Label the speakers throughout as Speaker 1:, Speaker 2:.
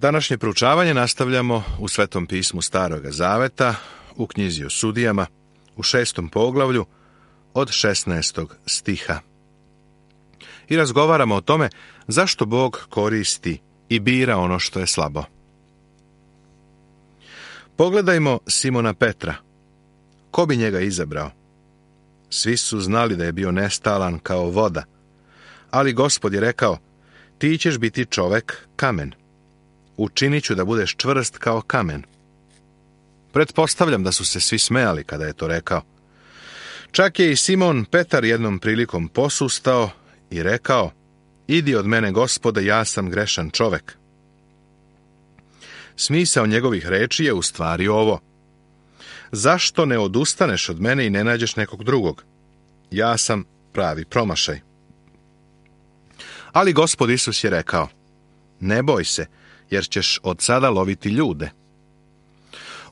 Speaker 1: Današnje proučavanje nastavljamo u Svetom pismu Staroga Zaveta, u knjizi o sudijama, u 6. poglavlju, od 16. stiha. I razgovaramo o tome zašto Bog koristi i bira ono što je slabo. Pogledajmo Simona Petra. Ko bi njega izabrao? Svi su znali da je bio nestalan kao voda, ali Gospod je rekao, ti ćeš biti čovek kamen. Učinit ću da budeš čvrst kao kamen. Pretpostavljam da su se svi smejali kada je to rekao. Čak je i Simon Petar jednom prilikom posustao i rekao, idi od mene, Gospode, ja sam grešan čovek. Smisao njegovih reči je u stvari ovo. Zašto ne odustaneš od mene i ne nađeš nekog drugog? Ja sam pravi promašaj. Ali Gospod Isus je rekao, ne boj se, jer ćeš od sada loviti ljude.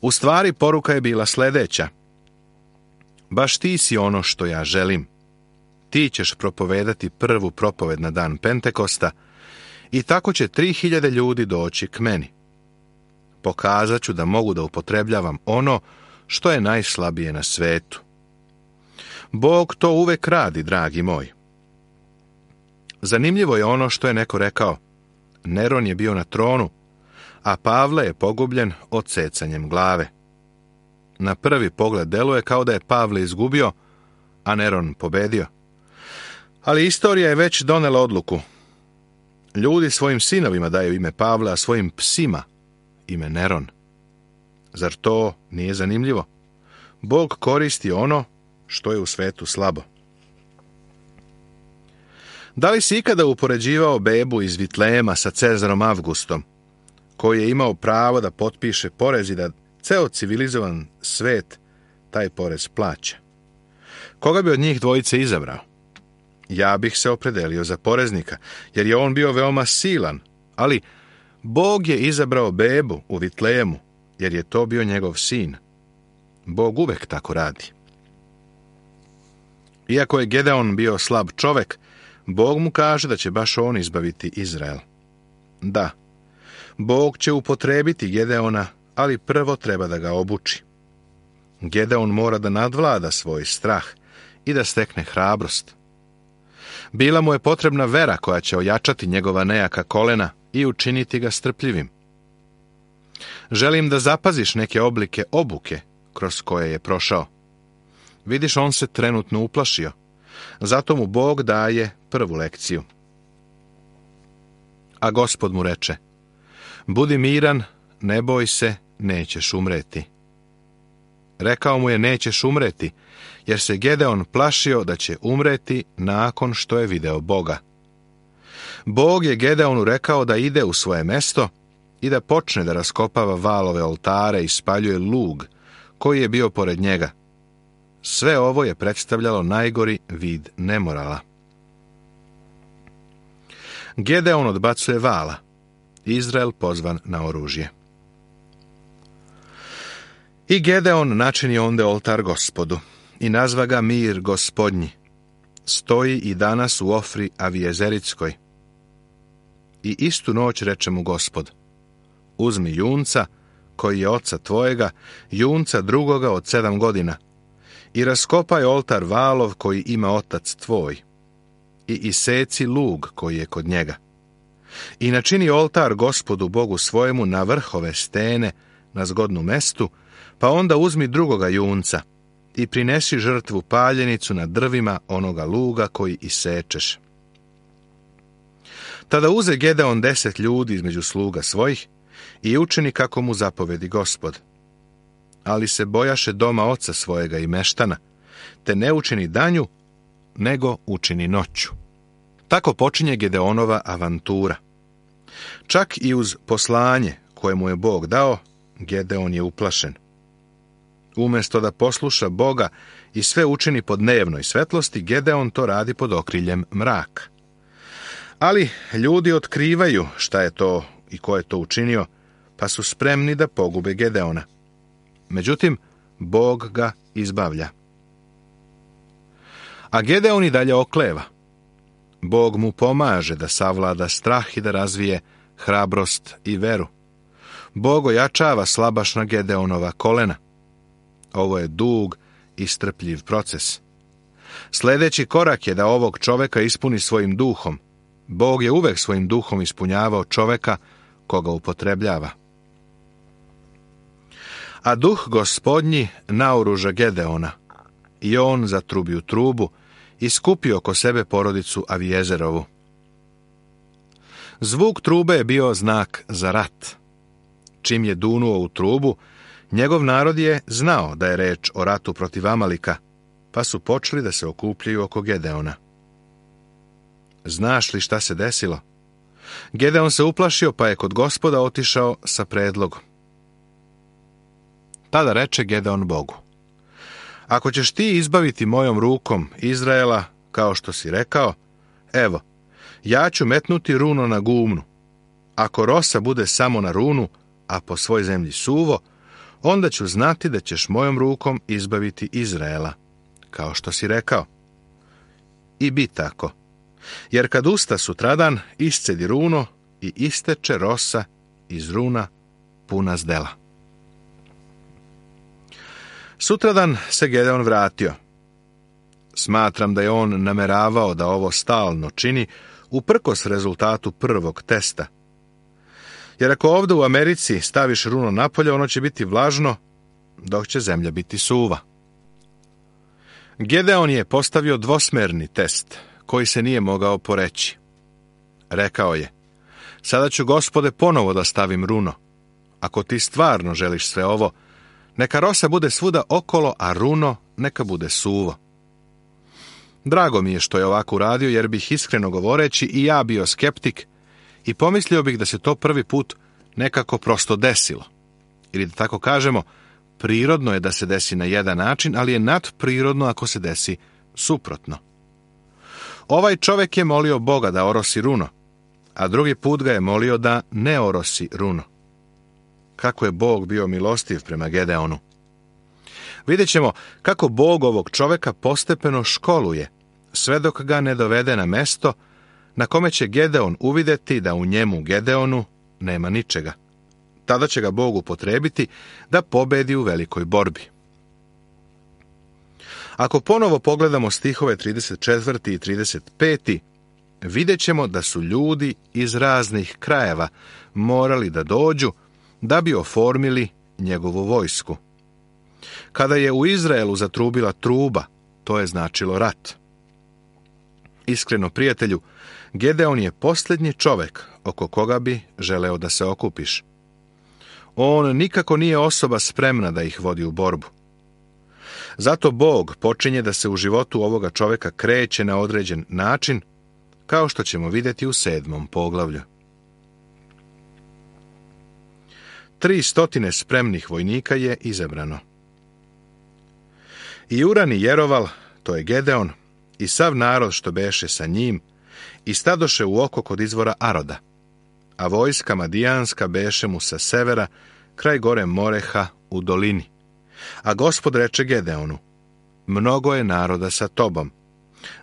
Speaker 1: U stvari poruka je bila sljedeća. Baš ti si ono što ja želim. Ti ćeš propovedati prvu propoved na dan Pentekosta i tako će 3000 ljudi doći k meni. Pokazat ću da mogu da upotrebljavam ono što je najslabije na svetu. Bog to uvek radi, dragi moj. Zanimljivo je ono što je neko rekao. Neron je bio na tronu, a Pavle je pogubljen odsecanjem glave. Na prvi pogled deluje kao da je Pavle izgubio, a Neron pobedio. Ali istorija je već donela odluku. Ljudi svojim sinovima daju ime Pavla, a svojim psima ime Neron. Zar to nije zanimljivo? Bog koristi ono što je u svetu slabo. Da li si ikada upoređivao bebu iz Vitlejema sa Cezarom Avgustom, koji je imao pravo da potpiše porez i da ceo civilizovan svet taj porez plaća? Koga bi od njih dvojice izabrao? Ja bih se opredelio za poreznika, jer je on bio veoma silan, ali Bog je izabrao bebu u Vitlejemu, jer je to bio njegov sin. Bog uvek tako radi. Iako je Gedeon bio slab čovek, Bog mu kaže da će baš on izbaviti Izrael. Da, Bog će upotrebiti Gedeona, ali prvo treba da ga obuči. Gedeon mora da nadvlada svoj strah i da stekne hrabrost. Bila mu je potrebna vera koja će ojačati njegova nejaka kolena i učiniti ga strpljivim. Želim da zapaziš neke oblike obuke kroz koje je prošao. Vidiš, on se trenutno uplašio. Zato mu Bog daje prvu lekciju. A Gospod mu reče, budi miran, ne boj se, nećeš umreti. Rekao mu je, nećeš umreti, jer se Gedeon plašio da će umreti nakon što je video Boga. Bog je Gedeonu rekao da ide u svoje mesto i da počne da raskopava valove oltare i spaljuje lug koji je bio pored njega. Sve ovo je predstavljalo najgori vid nemorala. Gedeon odbacuje vala. Izrael pozvan na oružje. I Gedeon načini onde oltar Gospodu i nazva ga Mir Gospodnji. Stoji i danas u Ofri Avijezerickoj. I istu noć reče mu Gospod, uzmi junca, koji je oca tvojega, junca drugoga od 7 godina, i raskopaj oltar valov koji ima otac tvoj, i iseci lug koji je kod njega. I načini oltar Gospodu Bogu svojemu na vrhove stene, na zgodnu mestu, pa onda uzmi drugoga junca i prinesi žrtvu paljenicu na drvima onoga luga koji isečeš. Tada uze Gedeon 10 ljudi između sluga svojih i učini kako mu zapovedi Gospod. Ali se bojaše doma oca svojega i meštana, te ne učini danju, nego učini noću. Tako počinje Gedeonova avantura. Čak i uz poslanje koje mu je Bog dao, Gedeon je uplašen. Umjesto da posluša Boga i sve učini po dnevnoj svetlosti, Gedeon to radi pod okriljem mraka. Ali ljudi otkrivaju šta je to i ko je to učinio, pa su spremni da pogube Gedeona. Međutim, Bog ga izbavlja. A Gedeon i dalje okleva. Bog mu pomaže da savlada strah i da razvije hrabrost i veru. Bog ojačava slabašna Gedeonova kolena. Ovo je dug i strpljiv proces. Sljedeći korak je da ovog čoveka ispuni svojim duhom. Bog je uvek svojim duhom ispunjavao čoveka koga upotrebljava. A duh Gospodnji naoruža Gedeona, i on zatrubio trubu i skupio oko sebe porodicu Avijezerovu. Zvuk trube je bio znak za rat. Čim je dunuo u trubu, njegov narod je znao da je reč o ratu protiv Amalika, pa su počeli da se okupljaju oko Gedeona. Znaš li šta se desilo? Gedeon se uplašio, pa je kod Gospoda otišao sa predlogom. Tada reče Gedeon Bogu: ako ćeš ti izbaviti mojom rukom Izraela, kao što si rekao, evo, ja ću metnuti runo na gumnu. Ako rosa bude samo na runu, a po svoj zemlji suvo, onda ću znati da ćeš mojom rukom izbaviti Izraela, kao što si rekao. I bi tako, jer kad usta sutradan, iscedi runo i isteče rosa iz runa puna zdela. Sutradan se Gedeon vratio. Smatram da je on nameravao da ovo stalno čini uprkos rezultatu prvog testa. Jer ako ovdje u Americi staviš runo napolje, ono će biti vlažno, dok će zemlja biti suva. Gedeon je postavio dvosmerni test, koji se nije mogao poreći. Rekao je: sada ću, Gospode, ponovo da stavim runo. Ako ti stvarno želiš sve ovo, neka rosa bude svuda okolo, a runo neka bude suvo. Drago mi je što je ovako uradio, jer bih, iskreno govoreći, i ja bio skeptik i pomislio bih da se to prvi put nekako prosto desilo. Ili da tako kažemo, prirodno je da se desi na jedan način, ali je nadprirodno ako se desi suprotno. Ovaj čovjek je molio Boga da orosi runo, a drugi put ga je molio da ne orosi runo. Kako je Bog bio milostiv prema Gedeonu. Vidjet ćemo kako Bog ovog čovjeka postepeno školuje, sve dok ga ne dovede na mesto na kome će Gedeon uvidjeti da u njemu, Gedeonu, nema ničega. Tada će ga Bog upotrebiti da pobedi u velikoj borbi. Ako ponovo pogledamo stihove 34. i 35. vidjet ćemo da su ljudi iz raznih krajeva morali da dođu da bi oformili njegovu vojsku. Kada je u Izraelu zatrubila truba, to je značilo rat. Iskreno, prijatelju, Gedeon je posljednji čovjek oko koga bi želeo da se okupiš. On nikako nije osoba spremna da ih vodi u borbu. Zato Bog počinje da se u životu ovoga čovjeka kreće na određen način, kao što ćemo vidjeti u 7. poglavlju. 300 spremnih vojnika je izabrano. I Uran i Jeroval, to je Gedeon, i sav narod što beše sa njim, i stadoše u oko kod izvora Aroda, a vojska Madijanska beše mu sa severa, kraj gore Moreha u dolini. A Gospod reče Gedeonu: mnogo je naroda sa tobom,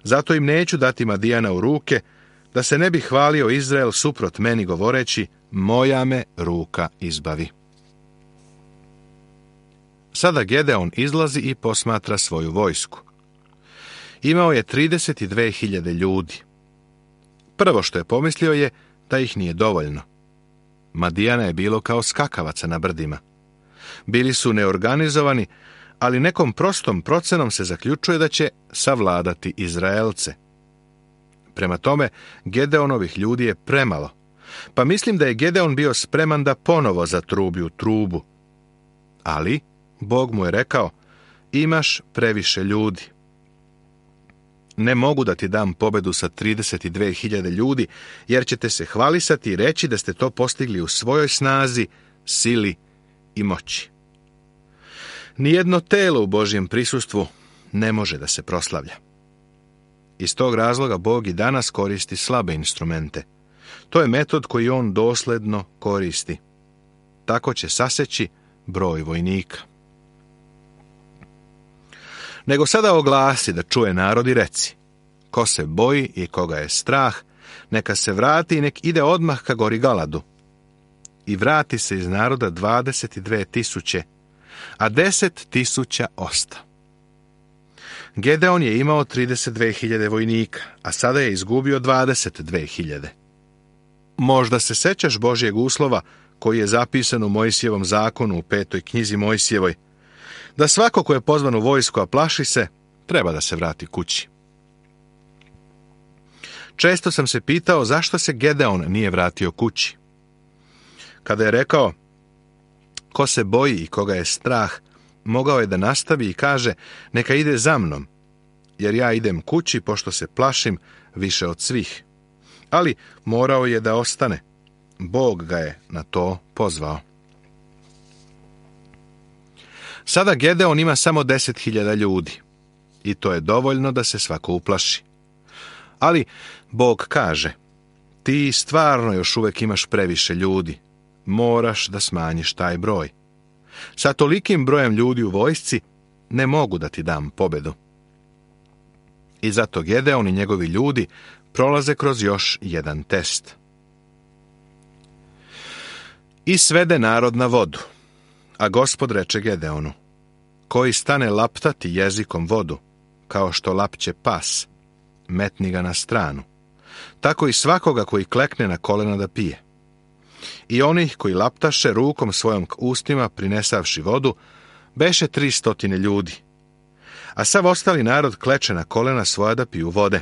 Speaker 1: zato im neću dati Madijana u ruke, da se ne bi hvalio Izrael suprot meni govoreći: moja me ruka izbavi. Sada Gedeon izlazi i posmatra svoju vojsku. Imao je 32.000 ljudi. Prvo što je pomislio je da ih nije dovoljno. Madijana je bilo kao skakavaca na brdima. Bili su neorganizovani, ali nekom prostom procenom se zaključuje da će savladati Izraelce. Prema tome, Gedeonovih ljudi je premalo, pa mislim da je Gedeon bio spreman da ponovo zatrubi u trubu. Ali Bog mu je rekao: imaš previše ljudi. Ne mogu da ti dam pobedu sa 32.000 ljudi, jer ćete se hvalisati i reći da ste to postigli u svojoj snazi, sili i moći. Nijedno telo u Božjem prisustvu ne može da se proslavlja. Iz tog razloga Bog i danas koristi slabe instrumente. To je metod koji on dosledno koristi. Tako će saseći broj vojnika. Nego sada oglasi da čuje narod i reci: ko se boji i koga je strah, neka se vrati i nek ide odmah ka gori Galadu. i vrati se iz naroda 22.000, a 10.000 osta. Gedeon je imao 32.000 vojnika, a sada je izgubio 22.000. Možda se sećaš Božjeg uslova koji je zapisan u Mojsijevom zakonu u 5. knjizi Mojsijevoj, da svako ko je pozvan u vojsku, a plaši se, treba da se vrati kući. Često sam se pitao zašto se Gedeon nije vratio kući. Kada je rekao, ko se boji i koga je strah, mogao je da nastavi i kaže, neka ide za mnom, jer ja idem kući pošto se plašim više od svih. Ali morao je da ostane. Bog ga je na to pozvao. Sada Gedeon ima samo 10.000 ljudi i to je dovoljno da se svako uplaši. Ali Bog kaže, ti stvarno još uvek imaš previše ljudi, moraš da smanjiš taj broj. Sa tolikim brojem ljudi u vojsci ne mogu da ti dam pobedu. I zato Gedeon i njegovi ljudi prolaze kroz još jedan test. I svede narod na vodu, a Gospod reče Gedeonu, koji stane laptati jezikom vodu, kao što lapće pas, metni ga na stranu, tako i svakoga koji klekne na kolena da pije. I onih koji laptaše rukom svojom k ustima prinesavši vodu, beše 300 ljudi, a sav ostali narod kleče na kolena svoja da piju vode.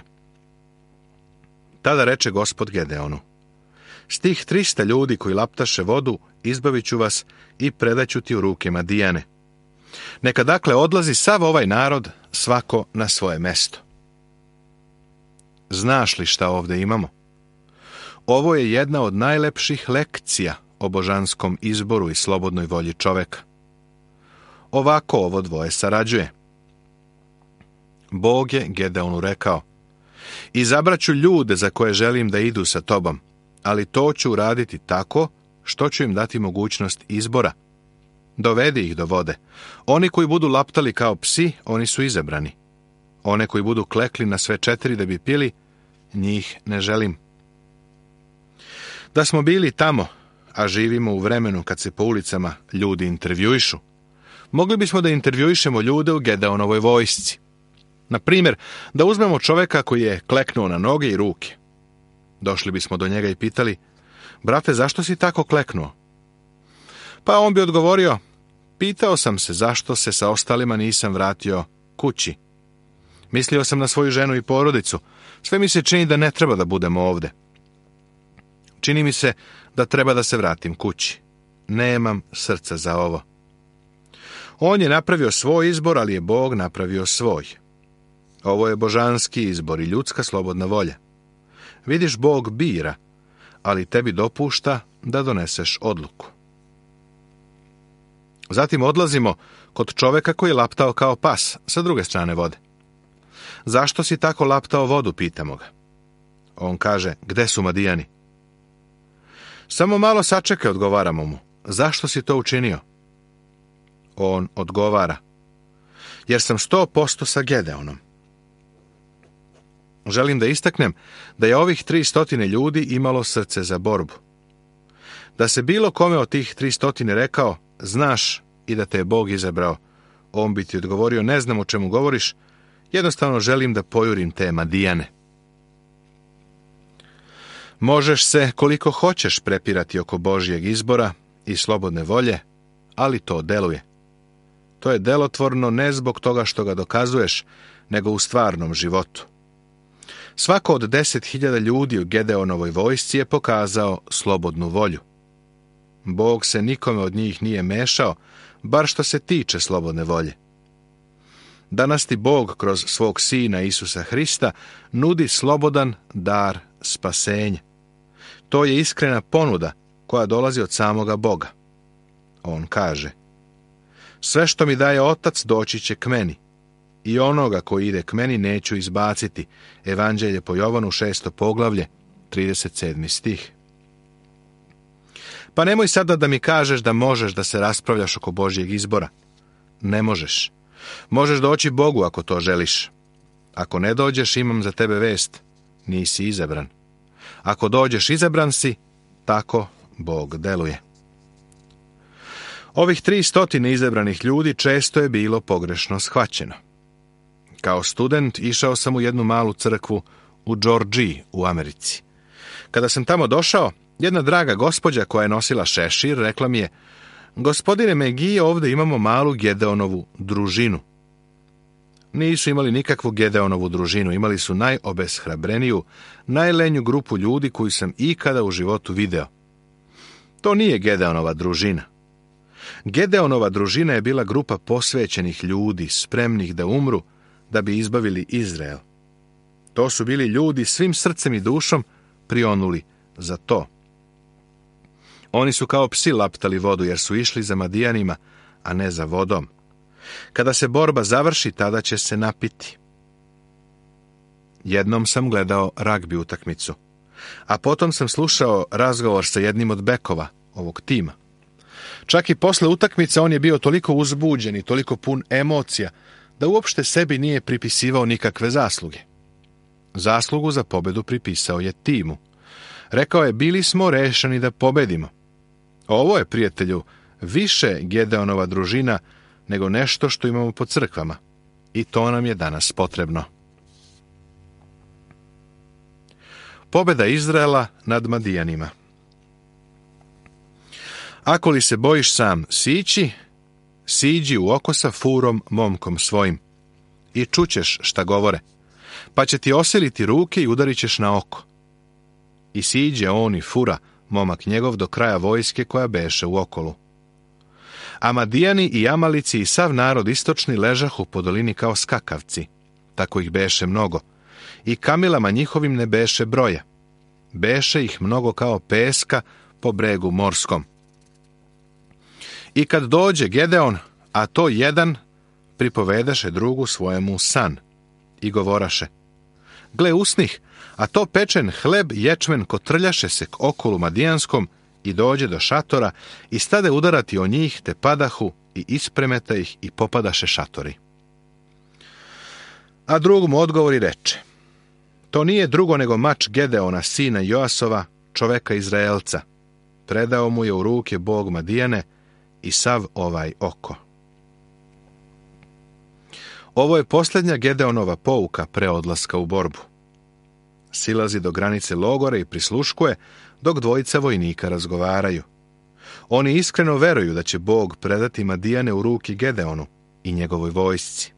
Speaker 1: Tada reče Gospod Gedeonu, s tih 300 ljudi koji laptaše vodu izbavit ću vas i predaću ti u ruke Madijane. Neka dakle odlazi sav ovaj narod, svako na svoje mesto. Znaš li šta ovde imamo? Ovo je jedna od najlepših lekcija o božanskom izboru i slobodnoj volji čoveka. Ovako ovo dvoje sarađuje. Bog je Gedeonu rekao, izabraću ljude za koje želim da idu sa tobom, ali to ću uraditi tako što ću im dati mogućnost izbora. Dovedi ih do vode. Oni koji budu laptali kao psi, oni su izabrani. One koji budu klekli na sve 4 da bi pili, njih ne želim. Da smo bili tamo, a živimo u vremenu kad se po ulicama ljudi intervjuišu, mogli bismo da intervjuišemo ljude u Gedeonovoj vojsci. Na primjer, da uzmemo čoveka koji je kleknuo na noge i ruke. Došli bismo do njega i pitali, brate, zašto si tako kleknuo? Pa on bi odgovorio, pitao sam se zašto se sa ostalima nisam vratio kući. Mislio sam na svoju ženu i porodicu. Sve mi se čini da ne treba da budem ovde. Čini mi se da treba da se vratim kući. Nemam srca za ovo. On je napravio svoj izbor, ali je Bog napravio svoj. Ovo je božanski izbor i ljudska slobodna volja. Vidiš, Bog bira, ali tebi dopušta da doneseš odluku. Zatim odlazimo kod čoveka koji je laptao kao pas sa druge strane vode. Zašto si tako laptao vodu, pitamo ga. On kaže, gde su Madijani? Samo malo sačekaj, odgovaramo mu. Zašto si to učinio? On odgovara, jer sam 100% sa Gedeonom. Želim da istaknem da je ovih 300 ljudi imalo srce za borbu. Da se bilo kome od tih 300 rekao, znaš i da te je Bog izabrao, on bi ti odgovorio, ne znam o čemu govoriš, jednostavno želim da pojurim te Madijane. Možeš se koliko hoćeš prepirati oko Božjeg izbora i slobodne volje, ali to deluje. To je delotvorno ne zbog toga što ga dokazuješ, nego u stvarnom životu. Svako od 10.000 ljudi u Gedeonovoj vojsci je pokazao slobodnu volju. Bog se nikome od njih nije mešao, bar što se tiče slobodne volje. Danas ti Bog kroz svog Sina Isusa Hrista nudi slobodan dar spasenja. To je iskrena ponuda koja dolazi od samoga Boga. On kaže, sve što mi daje Otac doći će k meni, i onoga koji ide k meni neću izbaciti. Evanđelje po Jovanu 6. poglavlje, 37. stih. Pa nemoj sada da mi kažeš da možeš da se raspravljaš oko Božjeg izbora. Ne možeš. Možeš doći Bogu ako to želiš. Ako ne dođeš, imam za tebe vest. Nisi izabran. Ako dođeš, izabran si, tako Bog deluje. Ovih 300 izabranih ljudi često je bilo pogrešno shvaćeno. Kao student išao sam u jednu malu crkvu u Georgiji u Americi. Kada sam tamo došao, jedna draga gospođa koja je nosila šešir rekla mi je: "Gospodine McGee, ovdje imamo malu Gedeonovu družinu." Nisu imali nikakvu Gedeonovu družinu, imali su najobeshrabreniju, najlenju grupu ljudi koju sam ikada u životu video. To nije Gedeonova družina. Gedeonova družina je bila grupa posvećenih ljudi, spremnih da umru, da bi izbavili Izrael. To su bili ljudi svim srcem i dušom prionuli za to. Oni su kao psi laptali vodu, jer su išli za Madijanima, a ne za vodom. Kada se borba završi, tada će se napiti. Jednom sam gledao ragbi utakmicu, a potom sam slušao razgovor sa jednim od bekova ovog tima. Čak i posle utakmice on je bio toliko uzbuđen i toliko pun emocija, da uopšte sebi nije pripisivao nikakve zasluge. Zaslugu za pobedu pripisao je timu. Rekao je: "Bili smo rešeni da pobedimo." Ovo je, prijatelju, više Gedeonova družina nego nešto što imamo po crkvama. I to nam je danas potrebno. Pobeda Izraela nad Madijanima. Ako li se bojiš sam sići, siđi u oko sa Furom momkom svojim i čućeš šta govore, pa će ti osiliti ruke i udarit ćeš na oko. I siđe on i Fura, momak njegov, do kraja vojske koja beše u okolu. A Madijani i Amalici i sav narod istočni ležahu po dolini kao skakavci, tako ih beše mnogo, i kamilama njihovim ne beše broja. Beše ih mnogo kao peska po bregu morskom. I kad dođe Gedeon, a to jedan, pripovedaše drugu svojemu san i govoraše: "Gle, usnih, a to pečen hleb ječmen kotrljaše se k okolu Madijanskom i dođe do šatora i stade udarati o njih, te padahu i ispremeta ih i popadaše šatori." A drugu mu odgovori reče: "To nije drugo nego mač Gedeona, sina Joasova, čoveka Izraelca. Predao mu je u ruke Bog Madijane i sav ovaj oko." Ovo je posljednja Gedeonova pouka pre odlaska u borbu. Silazi do granice logora i prisluškuje dok dvojica vojnika razgovaraju. Oni iskreno veruju da će Bog predati Madijane u ruki Gedeonu i njegovoj vojsci.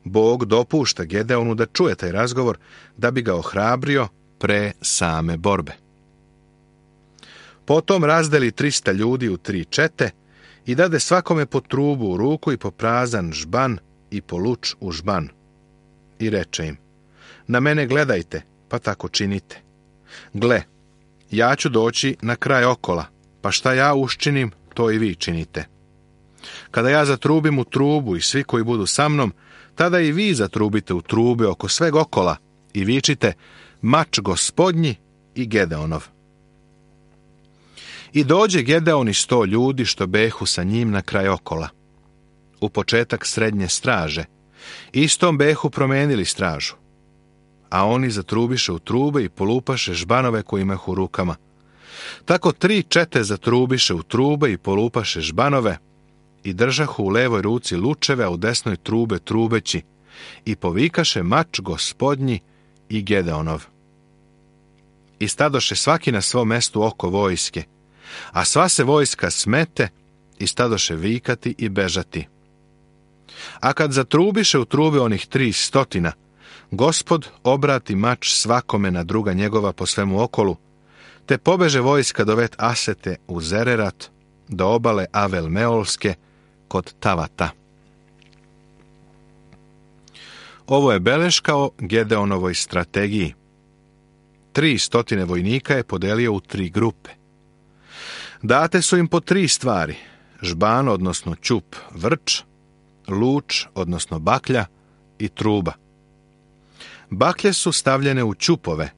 Speaker 1: Bog dopušta Gedeonu da čuje taj razgovor da bi ga ohrabrio pre same borbe. Potom razdeli 300 ljudi u 3 čete i dade svakome po trubu u ruku i po prazan žban i po luč u žban. I reče im: "Na mene gledajte, pa tako činite. Gle, ja ću doći na kraj okola, pa šta ja uščinim, to i vi činite. Kada ja zatrubim u trubu i svi koji budu sa mnom, tada i vi zatrubite u trube oko sveg okola i vičite: Mač Gospodnji i Gedeonov." I dođe Gedeon i 100 ljudi što behu sa njim na kraj okola, u početak srednje straže. Istom behu promenili stražu. A oni zatrubiše u trube i polupaše žbanove koji imahu u rukama. Tako 3 čete zatrubiše u trube i polupaše žbanove i držahu u levoj ruci lučeve, a u desnoj trube trubeći i povikaše: Mač Gospodnji i Gedeonov. I stadoše svaki na svom mestu oko vojske, a sva se vojska smete i stadoše vikati i bežati. A kad zatrubiše u trube onih 300, Gospod obrati mač svakome na druga njegova po svemu okolu, te pobeže vojska do vet Asete u Zererat, do obale Avel Meolske kod Tavata. Ovo je beleška o Gedeonovoj strategiji. 300 vojnika je podelio u 3 grupe. Date su im po 3 stvari: žban, odnosno ćup, vrč, luč, odnosno baklja i truba. Baklje su stavljene u ćupove,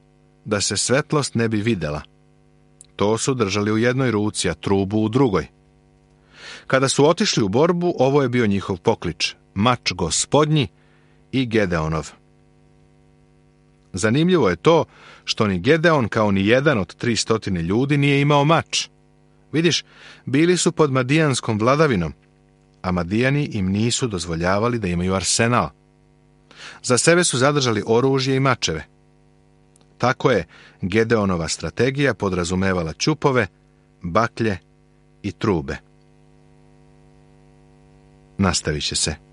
Speaker 1: da se svetlost ne bi videla. To su držali u jednoj ruci, a trubu u drugoj. Kada su otišli u borbu, ovo je bio njihov poklič: Mač Gospodnji i Gedeonov. Zanimljivo je to što ni Gedeon, kao ni jedan od 300 ljudi, nije imao mač, Vidiš, bili su pod madijanskom vladavinom, a Madijani im nisu dozvoljavali da imaju arsenal. Za sebe su zadržali oružje i mačeve. Tako je Gedeonova strategija podrazumevala ćupove, baklje i trube. Nastavit će se.